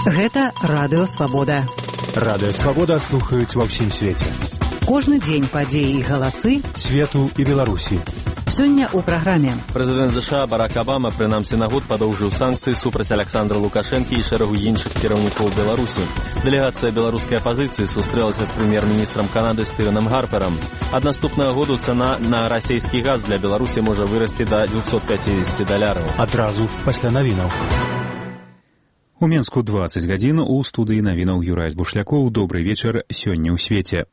Гэта Радыё Свабода. Радыё Свабода слухаюць ва ўсім свеце. Кожны дзень падзеі і галасы свету і Беларусі. Сёння ў праграме. Прэзідэнт США Барак Абама прынамсі на год падоўжыў санкцыі супраць Александра Лукашэнкі і шэрагу іншых кіраўнікоў Беларусі. Дэлегацыя беларускай апазіцыі сустрэлася з прэм'ер-міністрам Канады Стывенам Гарперам. Ад наступнага году цана на расійскі газ для Беларусі можа вырасці да $250. Адразу пасля навінаў. У Менску 20 гадзін, у студыі навінаў Юрай Бушлякоў. Добрый вечар сёння ў свеце.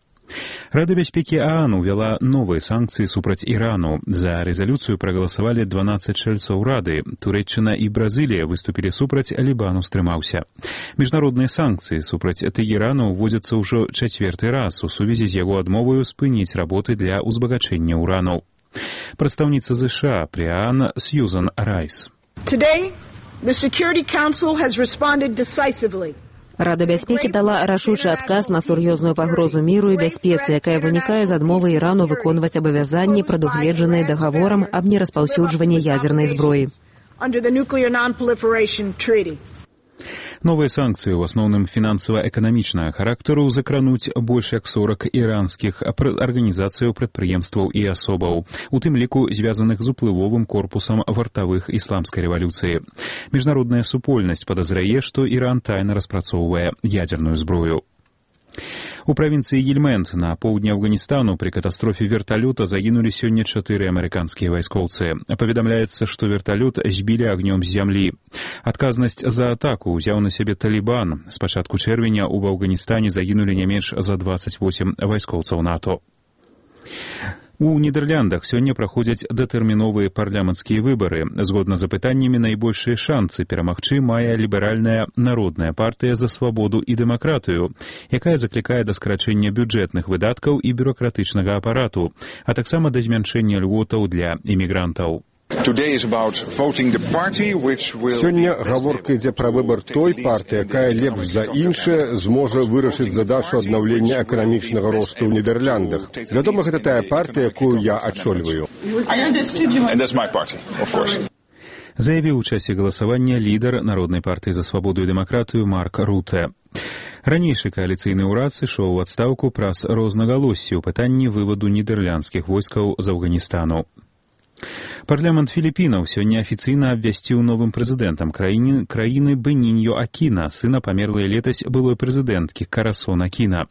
Рада бяспекі ААН увяла новыя санкцыі супраць Ірану. За рэзалюцыю прагаласавалі 12 чальцоў Рады. Турэччына і Бразылія выступілі супраць, Лібан устрымаўся. Міжнародныя санкцыі супраць Тэгерану ўводзяцца ўжо чацвёрты раз у сувязі з яго адмоваю спыніць работы для ўзбагачэння ўрану. Прадстаўніца США пры ААН Сьюзан Райс. The Security Council has responded decisively. Рада бяспекі дала рашучы адказ на сур'ёзную пагрозу міру і бяспецы, якая вынікае з адмовы Ірану выконваць абавязанні, прадугледжаныя дагаворам аб нераспаўсюджванні ядзернай зброі. Новыя санкцыі ў асноўным фінансава-эканамічнага характару закрануць больш як 40 іранскіх арганізацыяў, прадпрыемстваў і асобаў, у тым ліку звязаных з уплывовым корпусам вартавых ісламскай рэвалюцыі. Міжнародная супольнасць падазрае, што Іран тайна распрацоўвае ядзерную зброю. У правінцыі Гельманд на поўдні Афганістану пры катастрофе верталёта загінулі сёння 4 амерыканскія вайскоўцы. Паведамляецца, што верталёт збілі агнём з зямлі. Адказнасць за атаку ўзяў на сябе Талібан. З пачатку чэрвеня ў Афганістане загінулі не менш за 28 вайскоўцаў НАТО. У Нідэрляндах сёння праходзяць датэрміновыя парламенцкія выбары. Згодна з апытаннямі, найбольшыя шанцы перамагчы мае ліберальная народная партыя за свабоду і дэмакратыю, якая заклікае да скарачэння бюджэтных выдаткаў і бюракратычнага апарату, а таксама да змяншэння льготаў для імігрантаў. Сёння гаворка ідзе пра выбар той партыі, якая лепш за іншыя зможа вырашыць задачу аднаўлення эканамічнага росту ў Нідерландах. Вядома, гэта тая партыя, якую я ачольваю. Заявіў у часе галасавання лідар Народнай партыі за свабоду і дэмакратыю Марк Руте. Ранейшы кааліцыйны ўрад сышоў у адстаўку праз рознагалоссі ў пытанні вываду нідерландскіх войскаў з Афганістану. Парламент Філіпінаў сёння афіцыйна абвясціў новым прэзідэнтам краіны Беніньо Акіна, сына памерлай летась былой прэзідэнткі Карасон Акіна.